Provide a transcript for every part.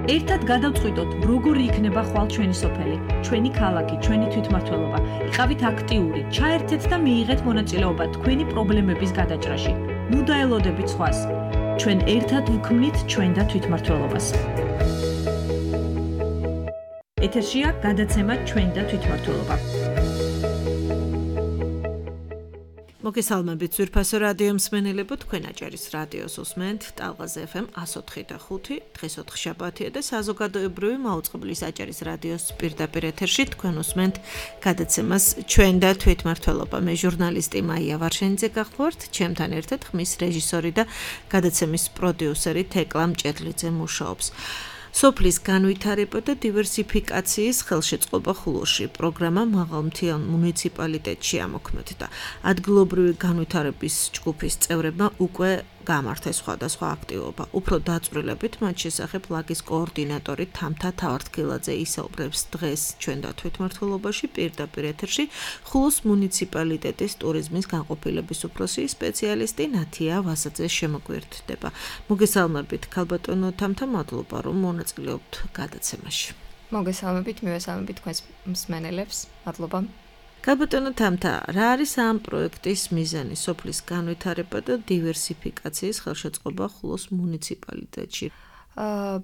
ერთად გადავწყვიტოთ, როგორი იქნება ხვალ ჩვენი სოფელი, ჩვენი ქალაქი, ჩვენი თვითმმართველობა. იყავით აქტიური, ჩაერთეთ და მიიღეთ მონაწილეობა თქვენი პრობლემების გადაჭრაში. ნუ დაელოდებით სხვას. ჩვენ ერთად ვქმნით ჩვენ და თვითმმართველობას. ეთერშია გადაცემა ჩვენ და თვითმმართველობა. მოგესალმებით ძვირფასო რადიო მსმენელებო, თქვენ აჭარის რადიოს უსმენთ ტალღაზე FM 104.5, დღეს 4 შაბათია და საზოგადოებრივი მაუწყებლის აჭარის რადიოს პირდაპირ ეთერში თქვენ უსმენთ გადაცემას ჩვენ და თვითმმართველობა. მე ჟურნალისტი მაია ვარშენიძე გახლავართ, ჩემთან ერთად ხმის რეჟისორი და გადაცემის პროდიუსერი თეკლა მჭედლიძე მუშაობს. სოფლის განვითარება და დივერსიფიკაციის ხელშეწყობა ხულოში პროგრამა მაღალმთიან მუნიციპალიტეტში ამოქმედდა. ადგილობრივი განვითარების ჯგუფის წევრებმა უკვე გამართეს სხვადასხვა აქტივობა. უფრო დაწვრილებით მათ შესახებ ლაგის კოორდინატორი თამთა თავართქილაძე ისაუბრებს დღეს ჩვენ და თვითმმართველობაში პირდაპირ ეთერში ხულოს მუნიციპალიტეტის ტურიზმის განყოფილების უფროსი სპეციალისტი ნათია ვასაძე შემოგვიერთდება. მოგესალმებით ქალბატონო თამთა, მადლობა რომ მონაწილეობთ გადაცემაში. მოგესალმებით, მივესალმებით თქვენს მსმენელებს. მადლობა. ქალბატონო თამთა, რა არის ამ პროექტის მიზანი სოფლის განვითარება და დივერსიფიკაციის ხელშეწყობა ხულოს მუნიციპალიტეტში?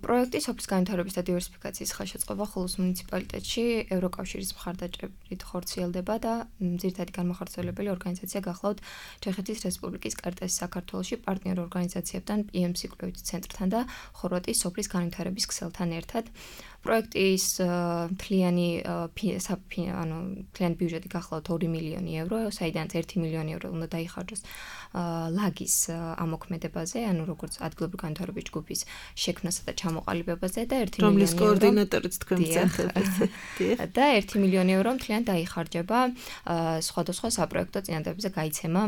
პროექტი სოფლის განვითარების და დივერსიფიკაციის ხელშეწყობა ხულოს მუნიციპალიტეტში ევროკავშირის მხარდაჭერით ხორციელდება და ძირითადი განმახორციელებელი ორგანიზაცია გახლავთ ჩეხეთის რესპუბლიკის კარტესი საქართველოში პარტნიორ ორგანიზაციებთან, PMC კვლევითი ცენტრთან და ხორვატიის სოფლის განვითარების ქსელთან ერთად. პროექტის მთლიანი ბიუჯეტი გახლავთ 2 მილიონი евро, საიდანაც 1 მილიონი евро უნდა დაიხარჯოს ლაგის ამოქმედებაზე, ანუ როგორც ადგილობრივი განვითარების ჯგუფის შექმნასა და ჩამოყალიბებაზე და 1 მილიონი რომლის კოორდინატორიც თქვენ გწევთ. და 1 მილიონი евро მთლიან დაიხარჯება სხვადასხვა საპროექტო წინადადებებზე გაიცემა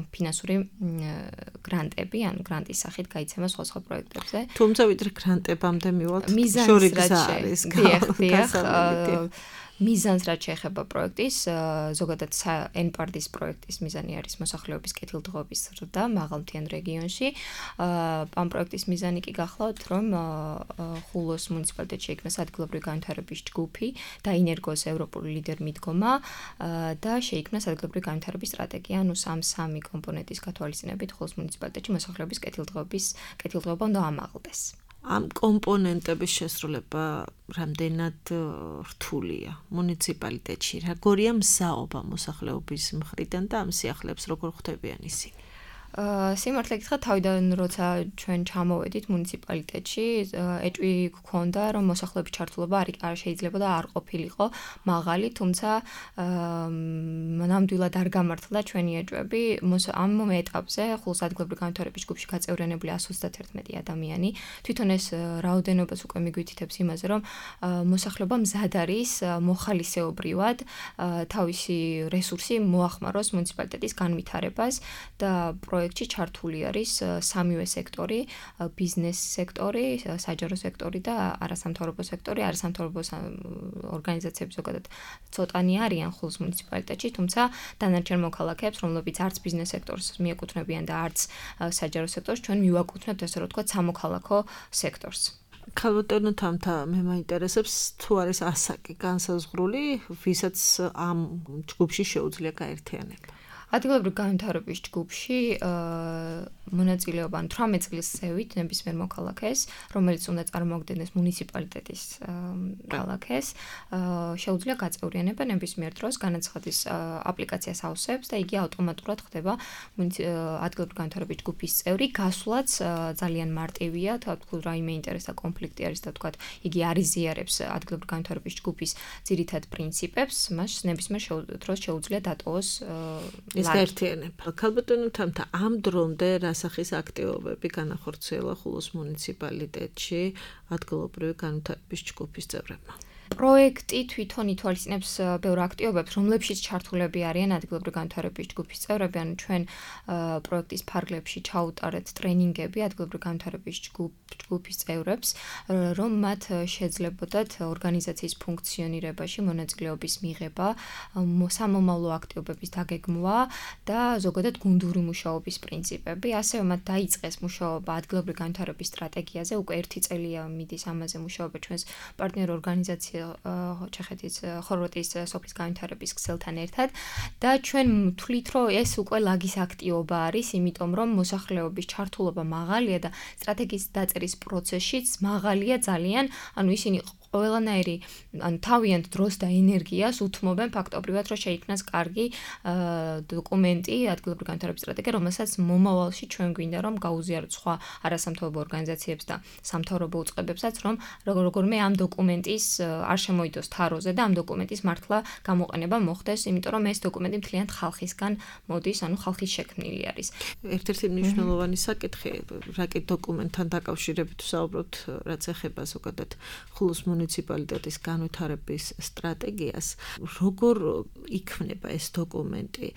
ფინანსური გრანტები, ანუ გრანტის სახით გაიცემა სხვა პროექტებზე. თუმცა ვიდრე გრანტებამდე მივალთ, მიზანს რაც შეეხება პროექტის, ზოგადად NPARD-ის პროექტის მიზანი არის მოსახლეობის კეთილდღეობის ზრდა მაღალმთიან რეგიონში. ამ პროექტის მიზანი კი გახლავთ, რომ ხულოს მუნიციპალიტეტში შეიქმნას ადგილობრივი განვითარების ჯგუფი, დაინერგოს ევროპული ლიდერ მიდგომა და შეიქმნას ადგილობრივი განვითარების სტრატეგია, ანუ სამი კომპონენტის გათვალისწინებით ხულოს მუნიციპალიტეტში მოსახლეობის კეთილდღეობა უნდა ამაღლდეს. ამ კომპონენტების შესრულება რამდენად რთულია მუნიციპალიტეტში? როგორია მსაობა მოსახლეობის მხრიდან და ამ სიახლეებს როგორ ხვდებიან ისინი? სიმართლე გითხრათ, თავიდან როცა ჩვენ ჩამოვედით მუნიციპალიტეტში, ეჭვი გქონდა, რომ მოსახლეობის ჩართულობა არ შეიძლება და არ ყოფილიყო მაღალი, თუმცა ნამდვილად არ გამართლა ჩვენი ეჭვები. ამ ეტაპზე ხულოს ადგილობრივი განვითარების ჯგუფში გაწევრიანებული 131 ადამიანი. თვითონ ეს რაოდენობას უკვე მიგვითითებს იმაზე, რომ მოსახლეობა მზად არის მოხალისეობრივად თავისი რესურსი მოახმაროს მუნიციპალიტეტის განვითარებას და პროექტში ჩართული არის სამივე სექტორი, ბიზნეს სექტორი, საჯარო სექტორი და არასამთავრობო სექტორი. არასამთავრობო ორგანიზაციები ზოგადად ცოტანი არიან ხულოს მუნიციპალიტეტში, თუმცა დანარჩენ მოქალაქეებს, რომლებიც არც ბიზნეს სექტორს მიეკუთვნებიან და არც საჯარო სექტორს, ჩვენ მივაკუთვნებთ ესე რომ ვთქვათ სამოქალაქო სექტორს. ქალბატონო თამთა, მე მაინტერესებს თუ არის ასაკი განსაზღვრული, ვისაც ამ ჯგუფში შეუძლია გაერთიანება. ადგილობრივი განვითარების ჯგუფში მონაწილეობა 18 წლის ზევით ნებისმიერ მოქალაქეს, რომელიც უნდა წარმოადგენდეს მუნიციპალიტეტის ქალაქეს, შეუძლია გაწევრიანება ნებისმიერ დროს, განაცხადის აპლიკაციას ავსებს და იგი ავტომატურად ხდება ადგილობრივი განვითარების ჯგუფის წევრი. გასვლაც ძალიან მარტივია, თქვა რაიმე ინტერესთა კონფლიქტი არის და თქვა იგი არ იზიარებს ადგილობრივი განვითარების ჯგუფის ძირითად პრინციპებს, მას ნებისმიერ დროს შეუძლია დატოვოს ეს გაერთიანება. ქალბატონო თამთა, ამ დრომდე რა სახის აქტივობები განახორციელა ხულოს მუნიციპალიტეტში ადგილობრივი განვითარების ჯგუფის წევრებმა? პროექტი თვითონ ითვალისწინებს ბევრ აქტივობებს, რომლებშიც ჩართულები არიან ადგილობრივი განვითარების ჯგუფის წევრები, ანუ ჩვენ პროექტის ფარგლებში ჩაუტარეთ ტრენინგები ადგილობრივი განვითარების ჯგუფის წევრებს, რომ მათ შეძლებოდათ ორგანიზაციის ფუნქციონირებაში მონაწილეობის მიღება, სამომავლო აქტივობების დაგეგმვა და ზოგადად გუნდური მუშაობის პრინციპები. ასევე მათ დაიწყეს მუშაობა ადგილობრივი განვითარების სტრატეგიაზე, უკვე 1 წელია მიდის ამაზე მუშაობა ჩვენს პარტნიორ ორგანიზაცია ჩეხეთის ხორვატიის სოფლის განვითარების ქსელთან ერთად და ჩვენ ვთვლით, რომ ეს უკვე ლაგის აქტივობა არის, იმიტომ რომ მოსახლეობის ჩართულობა მაღალია და სტრატეგიის დაწერის პროცესშიც მაღალია ძალიან, ანუ ისინი ყველანაირი ან თავიანთ დროს და ენერგიას უთმობენ ფაქტობრივად, რომ შეიქმნას კარგი დოკუმენტი ადგილობრივი განვითარების სტრატეგია, რომელსაც მომავალში ჩვენ გვინდა რომ გაუზიაროთ სხვა არასამთავრობო ორგანიზაციებს და სამთავრობო უწყებებსაც, რომ როგორმე ამ დოკუმენტის არ შემოიდოს თაროზე და ამ დოკუმენტის მართლა გამოყენება მოხდეს, იმიტომ რომ ეს დოკუმენტი მთლიანად ხალხისგან მოდის, ანუ ხალხის შექმნილი არის. ერთ-ერთი მნიშვნელოვანი საკითხი, რაკეთ დოკუმენტთან დაკავშირებით ვსაუბრობთ, რაც ეხება ზოგადად ხულოს მუნიციპალიტეტის განვითარების სტრატეგიას, როგორ იქმნება ეს დოკუმენტი,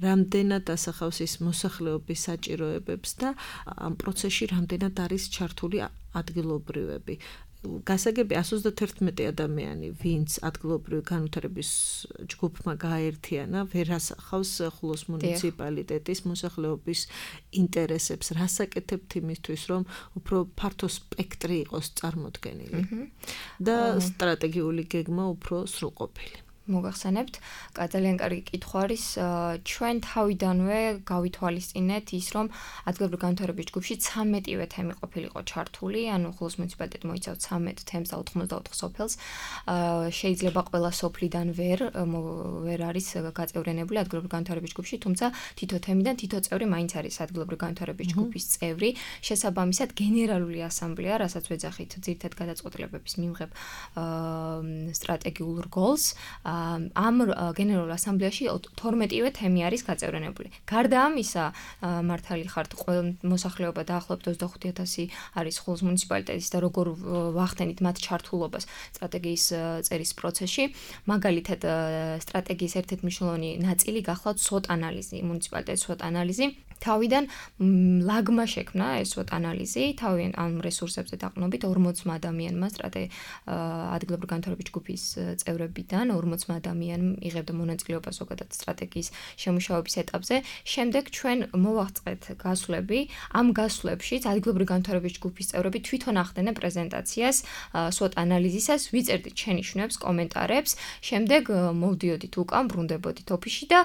რამდენად ასახავს ის მოსახლეობის საჭიროებებს და ამ პროცესში რამდენად არის ჩართული ადგილობრივები. გასაგები 131 ადამიანი, ვინც ადგილობრივი განვითარების ჯგუფმა გააერთიანა, ვერ ასახავს ხულოს მუნიციპალიტეტის მოსახლეობის ინტერესებს. რას აკეთებთ იმისთვის, რომ უფრო ფართო სპექტრი იყოს წარმოდგენილი და სტრატეგიული გეგმა უფრო სრულყოფილი. მოგახსენებთ, ძალიან კარგი კითხვა არის. ჩვენ თავიდანვე გავითვალისწინეთ ის, რომ ადგილობრივი განვითარების ჯგუფში 13-ვე თემი ყოფილიყო ჩართული, ანუ ხულოს მუნიციპალიტეტი მოიცავს 13 თემს და 84 სოფელს. შეიძლება ყველა სოფლიდან ვერ არის გაწევრიანებული ადგილობრივი განვითარების ჯგუფში, თუმცა თითო თემიდან თითო წევრი მაინც არის ადგილობრივი განვითარების ჯგუფის წევრი. შესაბამისად, გენერალური ასამბლეა, რასაც ვეძახით ძირითად გადაწყვეტილებების მიმღებ სტრატეგიულ რგოლს, ამ გენერალურ ასამბლეაში 12-ვე თემი არის გაწევრიანებული. გარდა ამისა, მართალი ხართ, მოსახლეობა დაახლოებით 25,000 არის ხულოს მუნიციპალიტეტის და როგორ ვახდენით მათ ჩართულობას სტრატეგიის წერის პროცესში. მაგალითად, სტრატეგიის ერთ-ერთი მნიშვნელოვანი ნაწილი გახლავთ SWOT ანალიზი, მუნიციპალიტეტის SWOT ანალიზი. თავიდან ლაგმა შექმნა ეს SWOT ანალიზი, თავიდან ამ რესურსებზე დაყრდნობით 40 ადამიანმა ადგილობრივი განვითარების ჯგუფის წევრებიდან 40 ადამიანმა იღებდა მონაწილეობა ზოგადად სტრატეგიის შემუშავების ეტაპზე. შემდეგ ჩვენ მოვაწყეთ გასვლები. ამ გასვლებშიც ადგილობრივი განვითარების ჯგუფის წევრები თვითონ ახდენენ პრეზენტაციას SWOT ანალიზისას, ვიწერდით შენიშვნებს, კომენტარებს. შემდეგ მოვდიოდით უკან, ბრუნდებოდით ოფისში და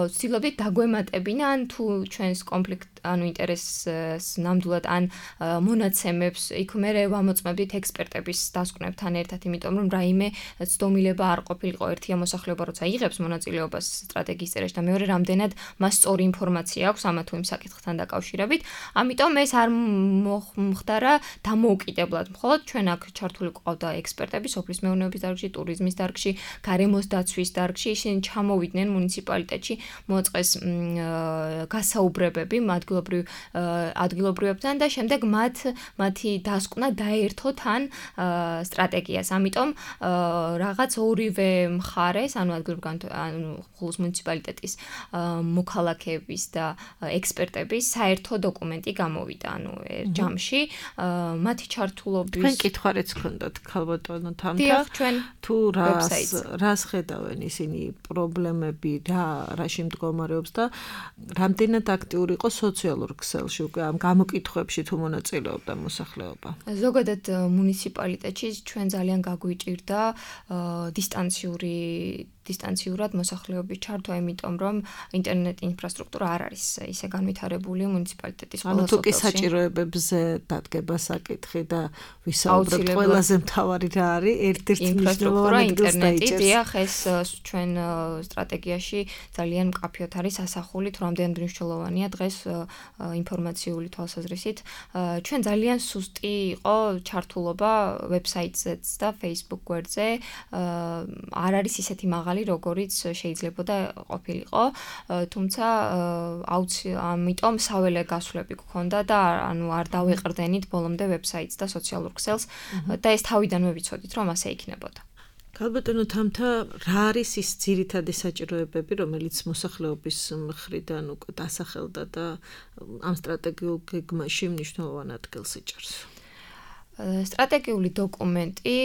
ვცდილობდით დაგვემატებინან თუ ჩვენს კონფლიქტ, ანუ ინტერესს ნამდვილად ან მონაცემებს, იქ მერე ვამოწმებდით ექსპერტების დასკვნებთან ერთად, იმიტომ რომ რაიმე ცდომილება არ ყოფილიყო. ერთია მოსახლეობა, როცა იღებს მონაწილეობას სტრატეგიის წერაში და მეორე რამდენად მას სწორი ინფორმაცია აქვს ამა თუ იმ საკითხთან დაკავშირებით. ამიტომ ეს არ მოხდარა დამოუკიდებლად. მხოლოდ ჩვენ აქ ჩართული ყავდა ექსპერტები სოფლის მეურნეობის დარგში, ტურიზმის დარგში, გარემოს დაცვის დარგში. ისინი ჩამოვიდნენ მუნიციპალიტეტში, მოაწყეს გასაუბრებები ადგილობრივებთან და შემდეგ მათი დასკვნა დაერთო თან სტრატეგიას. ამიტომ რაღაც ორივე მხარეს, ანუ ხულოს მუნიციპალიტეტის მოქალაქეების და ექსპერტების საერთო დოკუმენტი გამოვიდა, ანუ ჯამში. მათი ჩართულობის თქვენ კითხვარეც გქონდათ ქალბატონო თამთა. დიახ, ჩვენ თუ რას ხედავენ ისინი პრობლემები, რაში მდგომარეობს და რამდენად აქტიური იყო სოციალურ ქსელში უკვე ამ გამოკითხვებში თუ მონაწილეობდა მოსახლეობა. ზოგადად მუნიციპალიტეტში ჩვენ ძალიან გაგვიჭირდა დისტანციურად მოსახლეობის ჩართვა, იმიტომ რომ ინტერნეტ ინფრასტრუქტურა არ არის ისე განვითარებული მუნიციპალიტეტის ყველა სოფელში. ანუ თუ კი საჭიროებებზე დადგება საკითხი და ვისაუბრებთ, ყველაზე მთავარი რა არის, ერთ-ერთი მნიშვნელოვანი ინტერნეტი, დიახ, ეს ჩვენ სტრატეგიაში ძალიან მკაფიოდ არის ასახული, თუ რამდენად მნიშვნელოვანია დღეს ინფორმაციული თვალსაზრისით. ჩვენ ძალიან სუსტი იყო ჩართულობა ვებსაიტზეც და Facebook გვერდზე. არ არის ისეთი მაღალი, როგორიც შეიძლებოდა ყოფილიყო, თუმცა ამიტომ საველე გასვლები გქონდა და ანუ არ დავეყრდენით ბოლომდე ვებსაიტს და სოციალურ ქსელს და ეს თავიდანვე ვიცოდით, რომ ასე იქნებოდა. ქალბატონო თამთა, რა არის ის ძირითადი საჭიროებები, რომელიც მოსახლეობის მხრიდან უკვე დასახელდა და ამ სტრატეგიულ გეგმაში მნიშვნელოვან ადგილს იჭერს? სტრატეგიული დოკუმენტი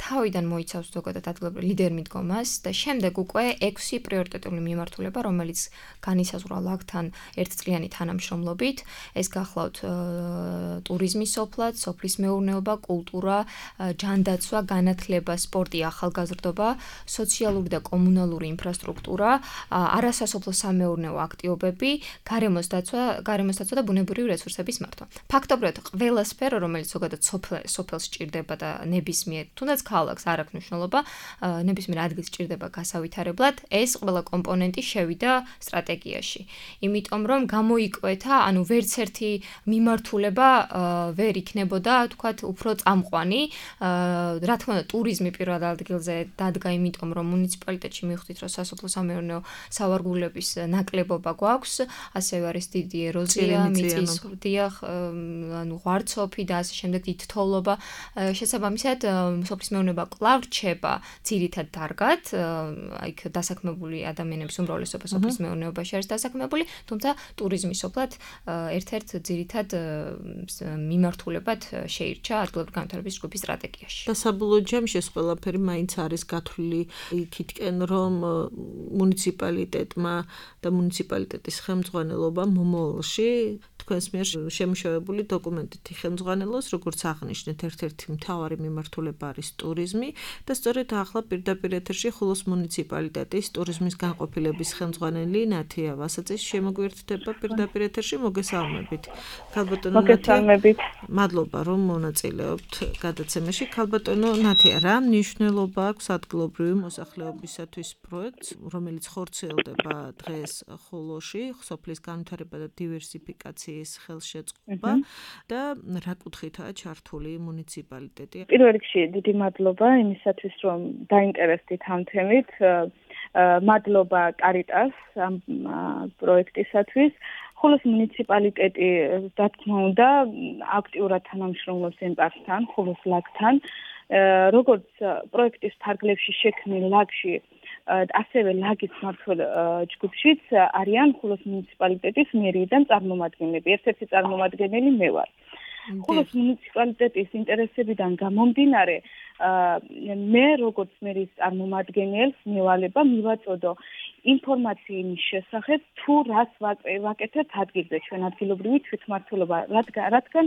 თავიდან მოიცავს ზოგადად ადგილობრივ ლიდერ მიდგომას და შემდეგ უკვე 6 პრიორიტეტული მიმართულება, რომელიც განისაზღვრა ლაგთან ერთწლიანი თანამშრომლობით. ეს გახლავთ ტურიზმის სოფლად, სოფლის მეურნეობა, კულტურა, ჯანდაცვა, განათლება, სპორტი, ახალგაზრდობა, სოციალური და კომუნალური ინფრასტრუქტურა, არასასოფლო სამეურნეო აქტივობები, გარემოს დაცვა და ბუნებრივი რესურსების მართვა. ფაქტობრივად ყველა სფერო, რომელიც ზოგადად სოფელს სჭირდება და ნებისმიერ თუნდაც ქალაქს არ აქვს მნიშვნელობა, ნებისმიერ ადგილს სჭირდება გასავითარებლად, ეს ყველა კომპონენტი შევიდა სტრატეგიაში. იმიტომ რომ გამოიკვეთა, ვერც ერთი მიმართულება ვერ იქნებოდა, თქვათ, უფრო წამყვანი. რა თქმა უნდა, ტურიზმი პირველ ადგილზე დადგა, იმიტომ რომ მუნიციპალიტეტში მივხვდით, რომ სასოფლო-სამეურნეო სავარგულების ნაკლებობა გვაქვს, ასევე არის დიდი ეროზია, მიწის დიახ, ღვარცოფი და ასე შემდეგ დიდი თოვლობა. შესაბამისად, სოფლის მეურნეობა კვლავ რჩება ძირითად დარგად, იქ დასაქმებული ადამიანების უმრავლესობა სოფლის მეურნეობაში არის დასაქმებული, თუმცა ტურიზმის სოფლად ერთ-ერთ ძირითად მიმართულებად შეირჩა ადგილობრივი განვითარების ჯგუფის სტრატეგიაში. და საბოლოო ჯამში ეს ყველაფერი მაინც არის გათვლილი იქითკენ, რომ მუნიციპალიტეტმა და მუნიციპალიტეტის ხელმძღვანელობამ მომავალში თქვენს მიერ შემუშავებული დოკუმენტით ხელმძღვანელოს, როგორც აღნიშნეთ, ერთ-ერთი მთავარი მიმართულება არის ტურიზმი და სწორედ ახლა პირდაპირ ეთერში ხულოს მუნიციპალიტეტის ტურიზმის განყოფილების ხელმძღვანელი ნათია ვასაძის შემოგვიერთდება პირდაპირ ეთერში. მოგესალმებით. ქალბატონო მოგესალმებით. მადლობა რომ მონაწილეობთ გადაცემაში. ქალბატონო ნათია, რა მნიშვნელობა აქვს ადგილობრივი მოსახლეობისათვის პროექტს, რომელიც ხორციელდება დღეს ხულოში, სოფლის განვითარება და დივერსიფიკაციის ხელშეწყობა და რა კუთხითაა ჩართული მუნიციპალიტეტი? პირველ რიგში დიდი მადლობა იმისათვის, რომ დაინტერესდით ამ თემით. მადლობა კარიტას ამ პროექტისათვის. ხულოს მუნიციპალიტეტი, რა თქმა უნდა, აქტიურად თანამშრომლობს ემპარსთან, ხულოს ლაგთან. როგორც პროექტის ფარგლებში შექმნილ ლაგში, ასევე ლაგის მმართველ ჯგუფშიც არიან ხულოს მუნიციპალიტეტის მერიიდან წარმომადგენლები. ერთ-ერთი წარმომადგენელი მე ვარ. ხულოს მუნიციპალიტეტის ინტერესებიდან გამომდინარე, მე როგორც მერის წარმომადგენელს მევალება მივაწოდო ინფორმაცია იმის შესახებ, თუ რას ვაკეთებთ ადგილზე, ჩვენ ადგილობრივი თვითმმართველობა, რადგან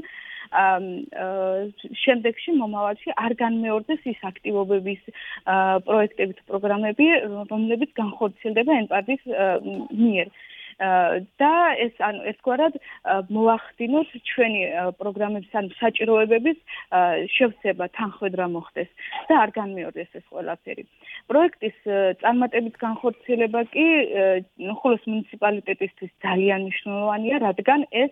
შემდეგში მომავალში არ განმეორდეს ის აქტივობების პროექტები თუ პროგრამები, რომლებიც განხორციელდება ემპარტის მიერ. და ეს გვარად მოახდინოთ ჩვენი პროგრამების ან საჭიროებების შევსება თანხმედრა მოხდეს და არ განმეორდეს ეს ყველაფერი. პროექტის წარმატებით განხორციელება კი ხულოს მუნიციპალიტეტისთვის ძალიან მნიშვნელოვანია, რადგან ეს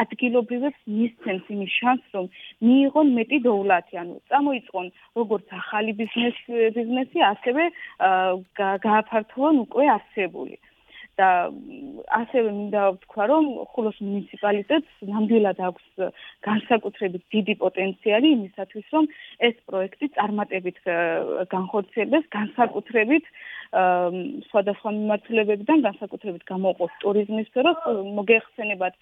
ადგილობრივებს მისცემს იმის შანსს, რომ მიიღონ მეტი დოვლათი, წამოიწყონ როგორც ახალი ბიზნესი, ასევე გააფართოვონ უკვე არსებული. და ასევე მინდა ვთქვა, რომ ხულოს მუნიციპალიტეტს ნამდვილად აქვს განსაკუთრებით დიდი პოტენციალი იმისათვის, რომ ეს პროექტი წარმატებით განხორციელდეს, განსაკუთრებით სხვადასხვა მიმართულებებიდან, განსაკუთრებით გამოყოს ტურიზმის სფეროს. მოგეხსენებათ,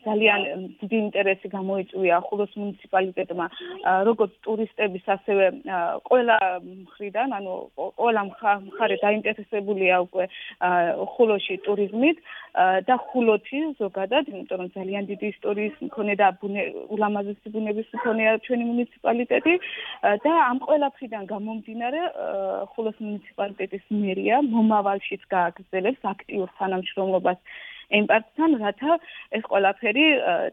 ძალიან დიდი ინტერესი გამოიწვია ხულოს მუნიციპალიტეტმა როგორც ტურისტების, ასევე ყველა მხრიდან, ყველა მხარე დაინტერესებულია უკვე ხულოში ტურიზმით და ხულოში ზოგადად, იმიტომ რომ ძალიან დიდი ისტორიის მქონე და ულამაზესი ბუნების მქონეა ჩვენი მუნიციპალიტეტი და ამ ყველაფრიდან გამომდინარე ხულოს მუნიციპალიტეტის მერია მომავალშიც გააგრძელებს აქტიურ თანამშრომლობას ემპარტთან, რათა ეს ყველაფერი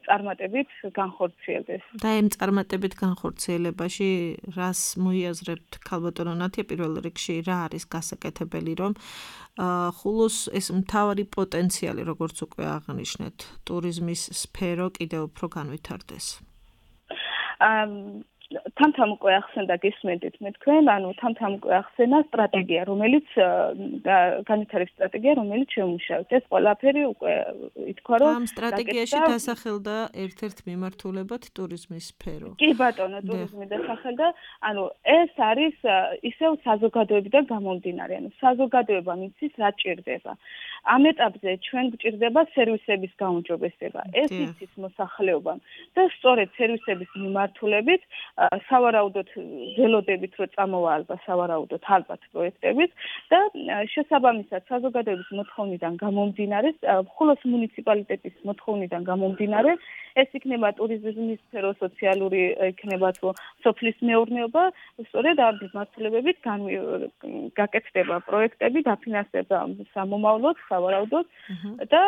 წარმატებით განხორციელდეს. და ამ წარმატებით განხორციელებაში რას მოიაზრებთ, ქალბატონო ნათია, პირველ რიგში რა არის გასაკეთებელი, რომ ხულოს ეს მთავარი პოტენციალი, როგორც უკვე აღნიშნეთ, ტურიზმის სფერო კიდევ უფრო განვითარდეს? თამთამ უკვე ახსენდა გისმენთ მე თქვენ, თამთამ უკვე ახსენა სტრატეგია, რომელიც განვითარების სტრატეგია, რომელიც შემუშავეთ. ეს ყველაფერი უკვე ითქვა, რომ ამ სტრატეგიაში დასახელდა ერთ-ერთ მიმართულებად ტურიზმის სფერო. კი ბატონო, ტურიზმი დასახელდა, ეს არის ისევ საზოგადოებიდან გამომდინარე, საზოგადოება მიცის რა ჭირდება. ამ ეტაპზე ჩვენ გვჭირდება სერვისების გაუმჯობესება. ეს იცის მოსახლეობამ და სწორედ სერვისების მიმართულებით სავარაუდოდ ველოდებით რომ წამოვალება სავარაუდოდ ალბათ პროექტებით და შესაბამისად საზოგადოების მოთხოვნიდან გამომდინარე, ხულოს მუნიციპალიტეტის მოთხოვნიდან გამომდინარე, ეს იქნება ტურიზმის სფერო, სოციალური იქნება თუ სოფლის მეურნეობა, სწორედ ამ მიმართულებებით გაკეთდება პროექტები, დაფინანსება სამომავლოდ, სავარაუდოდ და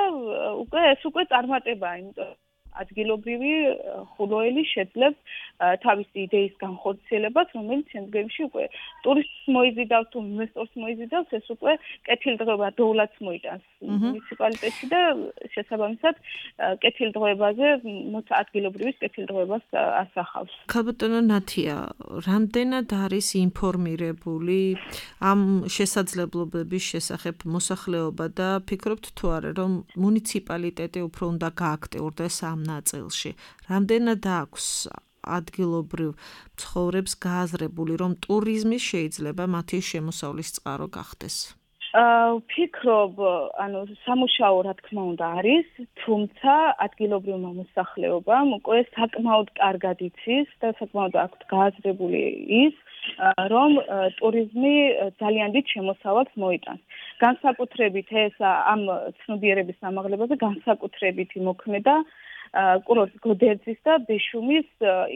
ეს უკვე წარმატებაა, იმიტომ ადგილობრივი ხულოელი შეძლებს თავისი იდეის განხორციელებას, რომელიც შემდგომში უკვე ტურისტს მოიზიდავს თუ ინვესტორს მოიზიდავს, ეს უკვე კეთილდღეობა დოულაც მოიტანს მუნიციპალიტეტში და შესაბამისად კეთილდღეობაზე ადგილობრივის კეთილდღეობას ასახავს. ქალბატონო ნათია, რამდენად არის ინფორმირებული ამ შესაძლებლობების შესახებ მოსახლეობა და ფიქრობთ თუ არა, რომ მუნიციპალიტეტი უფრო უნდა გააქტიურდეს ამ ნაწილში. რამდენად აქვს ადგილობრივ ცხოვრებს გააზრებული, რომ ტურიზმი შეიძლება მათი შემოსავლის წყარო გახდეს? ვფიქრობ, სამუშაო რა თქმა უნდა არის, თუმცა ადგილობრივმა მოსახლეობამ უკვე საკმაოდ კარგად იცის და საკმაოდ აქვთ გააზრებული ის, რომ ტურიზმი ძალიან დიდ შემოსავალს მოიტანს. განსაკუთრებით ეს ამ ცნობიერების ამაღლებაზე განსაკუთრებით იმოქმედა კურორტ გოდერძის და ბეშუმის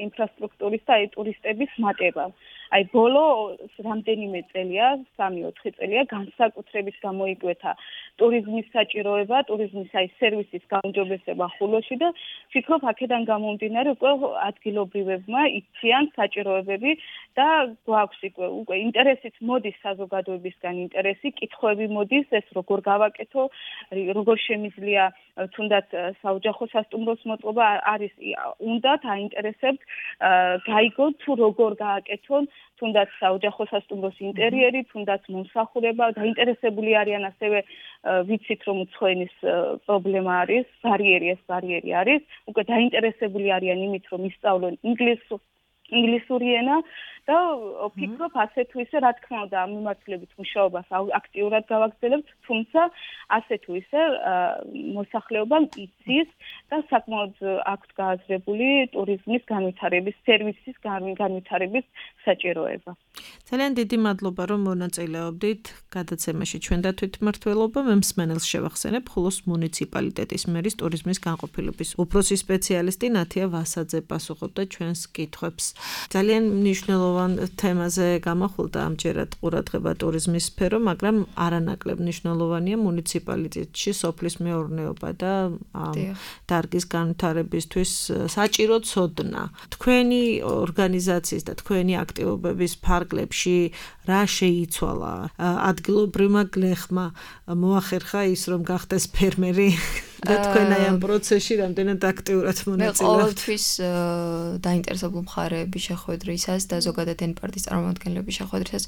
ინფრასტრუქტურის და ტურისტების მატება. ბოლო რამდენიმე წელია, 3-4 წელია განსაკუთრებით გამოიკვეთა ტურიზმის საჭიროება, ტურიზმის სერვისის გაუმჯობესება ხულოში და ვფიქრობ, აქედან გამომდინარე უკვე ადგილობრივებმა იციან საჭიროებები და გვაქვს უკვე ინტერესიც მოდის საზოგადოებისგან ინტერესი, კითხვები მოდის, ეს როგორ გავაკეთო, როგორ შემიძლია თუნდაც საოჯახო სასტუმროს მოწყობა არის უნდათ აინტერესებთ გაიგოთ თუ როგორ გააკეთონ თუნდაც საოჯახო სასტუმროს ინტერიერი, თუნდაც მომსახურება, დაინტერესებული არიან ასევე ვიცით რომ უცხოენის პრობლემა არის, ბარიერი არის, უკვე დაინტერესებული არიან იმით რომ ისწავლონ ინგლისური ენა და ვფიქრობ ასე თუ ისე რა თქმა უნდა ამ მიმართულებით მუშაობას აქტიურად გავაგრძელებთ, თუმცა ასე თუ ისე მოსახლეობამ იცის და საკმაოდ აქვთ გააზრებული ტურიზმის განვითარების, სერვისის განვითარების საჭიროება. ძალიან დიდი მადლობა რომ მონაწილეობდით გადაცემაში ჩვენ და თვითმმართველობა მსმენელს შევახსენებ ხულოს მუნიციპალიტეტის მერის ტურიზმის განყოფილების უფროსი სპეციალისტი ნათია ვასაძე პასუხობდა ჩვენს კითხვებს. ძალიან მნიშვნელოვანი თემაზე გამახვილდა ამჯერად ყურადღება ტურიზმის სფერო, მაგრამ არანაკლებ მნიშვნელოვანია მუნიციპალიტეტში სოფლის მეურნეობა და დარგის განვითარებისთვის საჭირო ცოდნა. თქვენი ორგანიზაციის და თქვენი აქტივობების ფარგლებში რა შეიცვალა? ადგილობრივმა გლეხმა მოახერხა ის რომ გახდეს ფერმერი და თქვენ აი ამ პროცესში რამდენად აქტიურად მონაწილეობთ? მე ყოველთვის დაინტერესებული მხარეები შეხვედრისას და ზოგადად ენპარტის წარმომადგენლების შეხვედრისას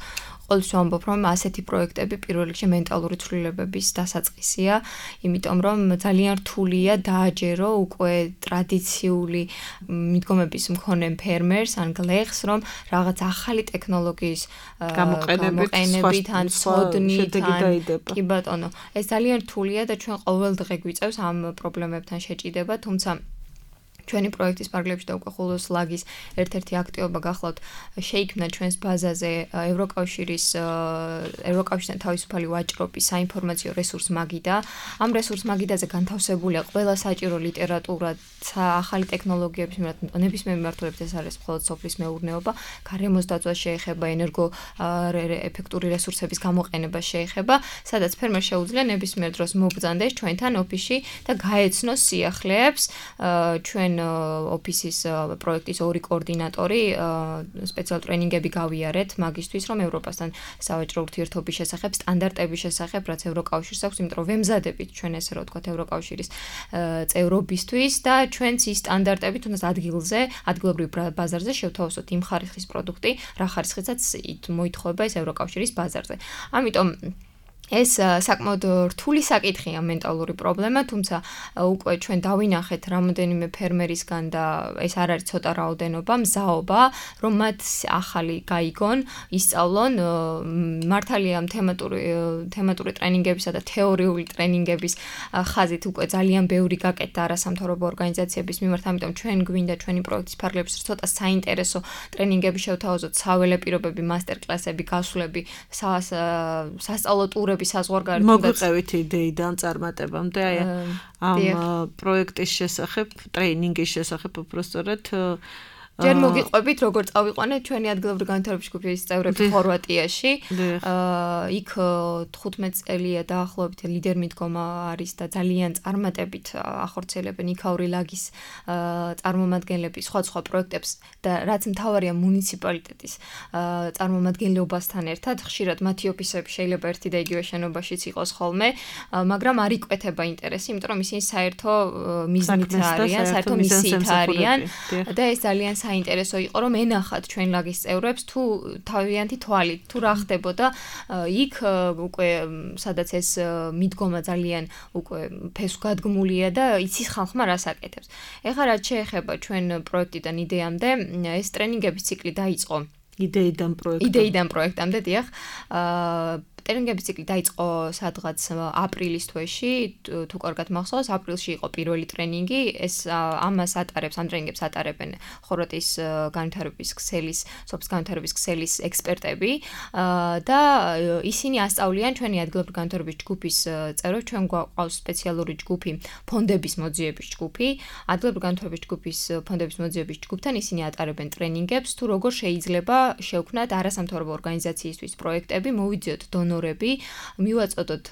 ყოველთვის ვამბობ, რომ ასეთი პროექტები პირველ რიგში მენტალური ცვლილებების დასაწყისია, იმიტომ რომ ძალიან რთულია დააჯერო უკვე ტრადიციული მიდგომების მქონე ფერმერს ან გლეხს, რომ რაღაც ახალი ტექნოლოგიის გამოყენებით ან ცოდნით კი ბატონო, ეს ძალიან რთულია და ჩვენ ყოველ დღე გვიწევს ამ პრობლემებთან შეჭიდება, თუმცა ჩვენი პროექტის პარკლებში და უკვე ხულოს ლაგის ერთ-ერთი აქტივობა გახლავთ შეიქმნა ჩვენს ბაზაზე ევროკავშირთან თავისუფალი ვაჭრობის საინფორმაციო რესურს მაგიდა. ამ რესურს მაგიდაზე განთავსებულია ყველა საჭირო ლიტერატურა, ახალი ტექნოლოგიების ნებისმიერ მიმართულებით, ეს არის მხოლოდ სოფლის მეურნეობა, გარემოს დაცვა შეეხება, ენერგო ეფექტური რესურსების გამოყენება შეეხება, სადაც ფერმერს შეუძლია ნებისმიერ დროს მობრძანდეს ჩვენთან ოფისში და გაეცნოს სიახლეებს ჩვენ ოფისის პროექტის ორი კოორდინატორი სპეციალ ტრენინგები გავიარეთ მაგისთვის, რომ ევროპასთან სავაჭრო ურთიერთობის შესახებ, სტანდარტების შესახებ, რაც ევროკავშირს აქვს, იმიტომ რომ ვემზადებით ჩვენ ესე რომ ვთქვათ ევროკავშირის წევრობისთვის და ჩვენც ის სტანდარტები თუნდაც ადგილობრივ ბაზარზე შევთავაზოთ იმ ხარისხის პროდუქტი, რა ხარისხისაც მოითხოვება ეს ევროკავშირის ბაზარზე. ამიტომ ეს საკმაოდ რთული საკითხია მენტალური პრობლემა, თუმცა უკვე ჩვენ დავინახეთ რამოდენიმე ფერმერისგან და ეს არ არის ცოტა რაოდენობა, მზაობა, რომ მათ ახალი გაიგონ, ისწავლონ, მართალია თემატური ტრენინგებისა და თეორიული ტრენინგების ხაზით უკვე ძალიან ბევრი გაკეთდა არასამთავრობო ორგანიზაციების მიმართ, ამიტომ ჩვენ გვინდა ჩვენი პროექტის ფარგლებში ცოტა საინტერესო ტრენინგები შევთავაზოთ, საველე პირობები, მასტერკლასები, გასვლები, სასწავლო ტურები საზღვარგარეთ მოგვიყევით იდეიდან წარმატებამდე აი ამ პროექტის შესახებ, ტრეინინგის შესახებ უბრალოდ ჯერ მოგიყვებით, როგორ წავიყვანეთ ჩვენი ადგილობრივი განვითარების ჯგუფის წევრები ხორვატიაში. იქ 15 წელია დაახლოებით ლიდერ-მიდგომა არის და ძალიან წარმატებით ახორციელებენ იქაური ლაგის წარმომადგენლები სხვა პროექტებს და რაც მთავარია მუნიციპალიტეტის წარმომადგენლობასთან ერთად, ხშირად მათი ოფისები შეიძლება ერთი და იგივე შენობაშიც იყოს ხოლმე, მაგრამ არ იკვეთება ინტერესი, იმიტომ რომ ისინი საერთო მიზნით არიან, საერთო მისიით არიან და ეს ძალიან საინტერესო იყო რომ ენახათ ჩვენ ლაგის წევრებს თუ თავიანთი თვალით თუ რა ხდებოდა იქ უკვე სადაც ეს მიდგომა ძალიან უკვე ფესვგადგმულია და იცის ხალხმა რას აკეთებს. ეხლა რაც შეეხება ჩვენ პროექტიდან იდეამდე ეს ტრენინგების ციკლი დაიწყო იდეიდან პროექტამდე დიახ ტრენინგების ციკლი დაიწყო სადღაც აპრილის თვეში, თუ კარგად მახსოვს, აპრილში იყო პირველი ტრენინგი, ეს ამ ტრენინგებს ატარებენ ხორვატიის განვითარების ქსელის ექსპერტები და ისინი ასწავლიან ჩვენი ადგილობრივი განვითარების ჯგუფის წევრებს, ჩვენ გვაყავს სპეციალური ჯგუფი, ფონდების მოძიების ჯგუფი, ადგილობრივი განვითარების ჯგუფის ფონდების მოძიების ჯგუფთან ისინი ატარებენ ტრენინგებს, თუ როგორ შეიძლება შევქმნათ არასამთავრობო ორგანიზაციისთვის პროექტები, მოვიძიოთ დონორები, მივაწოდოთ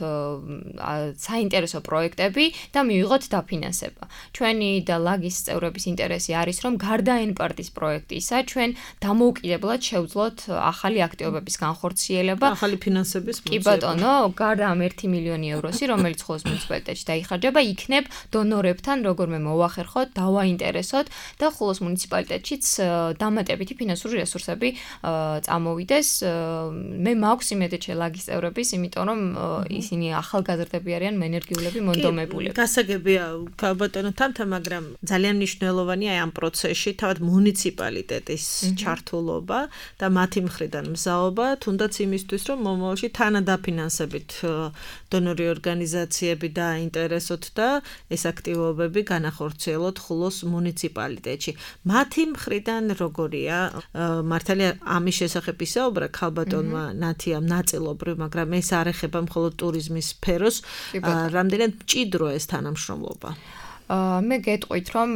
საინტერესო პროექტები და მივიღოთ დაფინანსება. ჩვენი და ლაგის წევრების ინტერესი არის, რომ გარდა ენპარტის პროექტისა, ჩვენ დამოუკიდებლად შევძლოთ ახალი აქტივობების განხორციელება, ახალი ფინანსების კი ბატონო, გარდა ამ 1 მილიონი ევროსი, რომელიც ხოლოს მუნიციპალიტეტში დაიხარჯება, იქნებ დონორებთან როგორმე მოვახერხოთ, დავაინტერესოთ და ხოლოს მუნიციპალიტეტშიც დამატებითი ფინანსური რესურსები წამოვიდეს. მე მაქვს იმედე ლაგის წევრების, იმიტომ რომ ისინი ახალგაზრდები არიან, ენერგიულები, მონდომებულები. გასაგებია, ბატონო თამთა, მაგრამ ძალიან მნიშვნელოვანია ამ პროცესში თავად მუნიციპალიტეტის ჩართულობა და მათი მხრიდან მზაობა, თუნდაც იმისთვის, რომ მომავალში თანადაფინანსებით დონორი ორგანიზაციები დააინტერესოთ და ეს აქტივობები განახორციელოთ ხულოს მუნიციპალიტეტში. მათი მხრიდან როგორია? მართალია ამის შესახებ ისაუბრა ქალბატონმა ნათიამ ნაწილობრივ, მაგრამ ეს არ ეხება მხოლოდ ტურიზმის სფეროს, რამდენად მჭიდრო ეს თანამშრომლობა. მე გეტყვით, რომ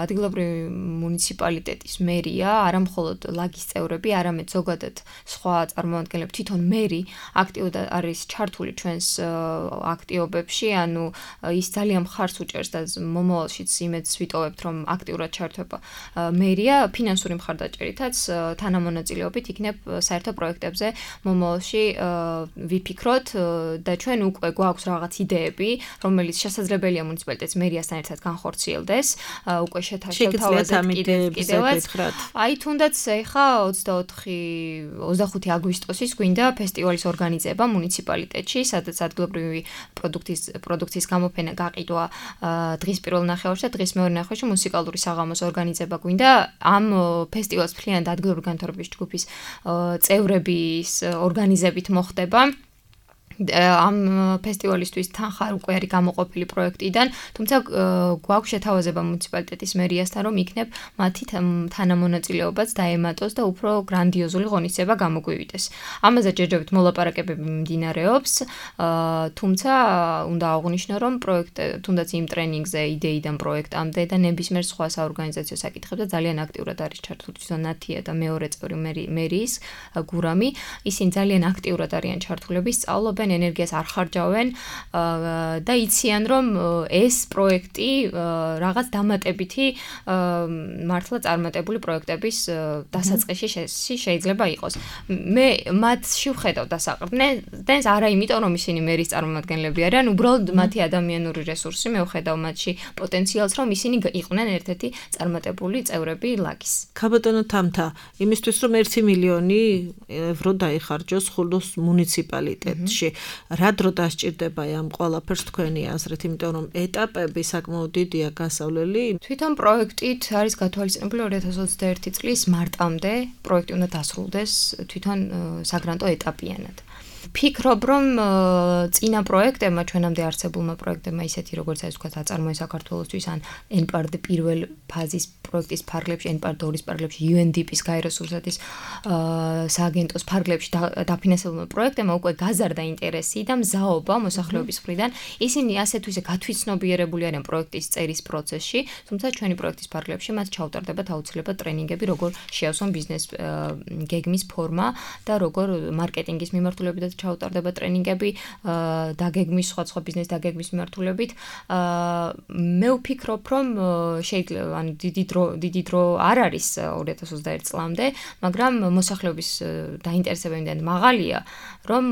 ადგილობრივი მუნიციპალიტეტის მერია, არა მხოლოდ ლაგის წევრები, არამედ ზოგადად სხვა წარმომადგენლები, თვითონ მერი აქტიურად არის ჩართული ჩვენს აქტივობებში, ანუ ის ძალიან მხარს უჭერს და მომავალშიც იმედს ვიტოვებთ, რომ აქტიურად ჩართება მერია ფინანსური მხარდაჭერითაც თანამონაწილეობით იქნებ საერთო პროექტებზე მომავალში ვიფიქროთ და ჩვენ უკვე გვაქვს რაღაც იდეები, რომელიც შესაძლებელია მუნიციპალიტეტს მერიასთან ერთად განხორციელდეს, უკვე შეთავაზეთ კიდევაც. აი თუნდაც ეხა 25 აგვისტოსის გვინდა ფესტივალის ორგანიზება მუნიციპალიტეტში, სადაც ადგილობრივი პროდუქციის გამოფენა გაყიდვა დღის პირველ ნახევარში და დღის მეორე ნახევარში მუსიკალური საღამოს ორგანიზება გვინდა. ამ ფესტივალს მთლიანად ადგილობრივი განვითარების ჯგუფის წევრების ორგანიზებით მოხდება. ამ ფესტივალისთვის თანხა უკვე არის გამოყოფილი პროექტიდან, თუმცა გვაქვს შეთავაზება მუნიციპალიტეტის მერიასთან, რომ იქნებ მათი თანამონაწილეობაც დაემატოს და უფრო გრანდიოზული ღონისძიება გამოგვივიდეს. ამაზე ჯერჯერობით მოლაპარაკებები მიმდინარეობს, თუმცა უნდა აღვნიშნო, რომ თუნდაც იმ ტრენინგზე იდეიდან პროექტამდე და ნებისმიერ სხვა საორგანიზაციო საკითხებზე ძალიან აქტიურად არის ჩართული ნათია და მეორე წევრი მერიის გურამი. ისინი ძალიან აქტიურად არიან ჩართულები, სწავლობენ იღებენ, ენერგიას არ ხარჯავენ და იციან, რომ ეს პროექტი რაღაც დამატებითი მართლა წარმატებული პროექტების დასაწყისში შეიძლება იყოს. მე მათში ვხედავ დასაყრდნს არა იმიტომ, რომ ისინი მერის წარმომადგენლები არიან, უბრალოდ მათი ადამიანური რესურსი, მე ვხედავ მათში პოტენციალს, რომ ისინი იყვნენ ერთ-ერთი წარმატებული წევრები ლაგის. ქაბატონო თამთა, იმისთვის რომ 1 მილიონი ევრო დაიხარჯოს ხულოს მუნიციპალიტეტში, რა დრო დასჭირდება ამ ყველაფერს თქვენი აზრით, იმიტომ რომ ეტაპები საკმაოდ დიდია გასავლელი. თვითონ პროექტით არის გათვალისწინებული 2021 წლის მარტამდე პროექტი უნდა დასრულდეს თვითონ საგრანტო ეტაპიანად. ფიქრობ, რომ წინა პროექტებმა, ჩვენამდე არსებულმა პროექტებმა, ისეთი როგორც ეს ვთქვათ, აწარმოეს საქართველოსთვის ან NPARD პირველ ფაზის პროექტის ფარგლებში, NPARD 2-ის ფარგლებში, UNDP-ის გაეროს რუსეთის სააგენტოს ფარგლებში დაფინანსებულმა პროექტებმა უკვე გაზარდა ინტერესი და მზაობა მოსახლეობის მხრიდან. ისინი ასე თუ ისე გათვითცნობიერებული არიან პროექტის წერის პროცესში, თუმცა ჩვენი პროექტის ფარგლებში მათ ჩაუტარდებათ აუცილებლად ტრენინგები, როგორ შეავსონ ბიზნეს გეგმის ფორმა და როგორ მარკეტინგის მიმართულებითაც ჩაუტარდება ტრენინგები დაგეგმის სხვა ბიზნეს დაგეგმის მიმართულებით. მე ვფიქრობ, რომ შეიძლება ან დიდი დრო არ არის 2021 წლამდე, მაგრამ მოსახლეობის დაინტერესებები მაღალია, რომ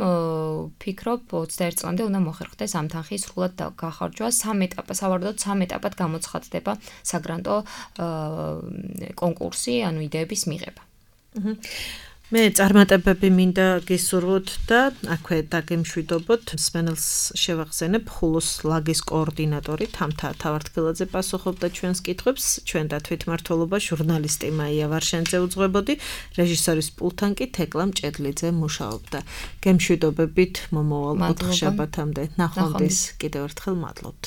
ვფიქრობ 21 წლამდე უნდა მოხერხდეს ამ თანხის სრულად გახარჯვა 3 ეტაპად, სავარაუდოდ 3 ეტაპად გამოცხადდება საგრანტო კონკურსი, ანუ იდეების მიღება. მე წარმატებები მინდა გისურვოთ და აქვე დაგემშვიდობოთ. მსმენელს შევახსენებ, ხულოს ლაგის კოორდინატორი თამთა თავართქილაძე პასუხობდა ჩვენს კითხვებს, ჩვენ და თვითმმართველობა ჟურნალისტი მაია ვარშენძე უძღვებოდი, რეჟისორის პულტთან კი თეკლა მჭედლიძე მუშაობდა. გემშვიდობებით მომავალ ოთხშაბათამდე. ნახვამდის კიდევ ერთხელ მადლობთ.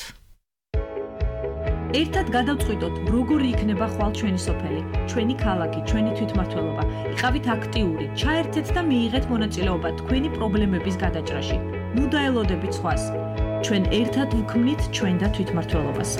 ერთად გადავწყვიტოთ, როგორი იქნება ხვალ ჩვენი სოფელი, ჩვენი ქალაქი, ჩვენი თვითმმართველობა. იყავით აქტიური, ჩაერთეთ და მიიღეთ მონაწილეობა თქვენი პრობლემების გადაჭრაში. ნუ დაელოდებით სხვას. ჩვენ ერთად ვქმნით ჩვენ და თვითმმართველობას.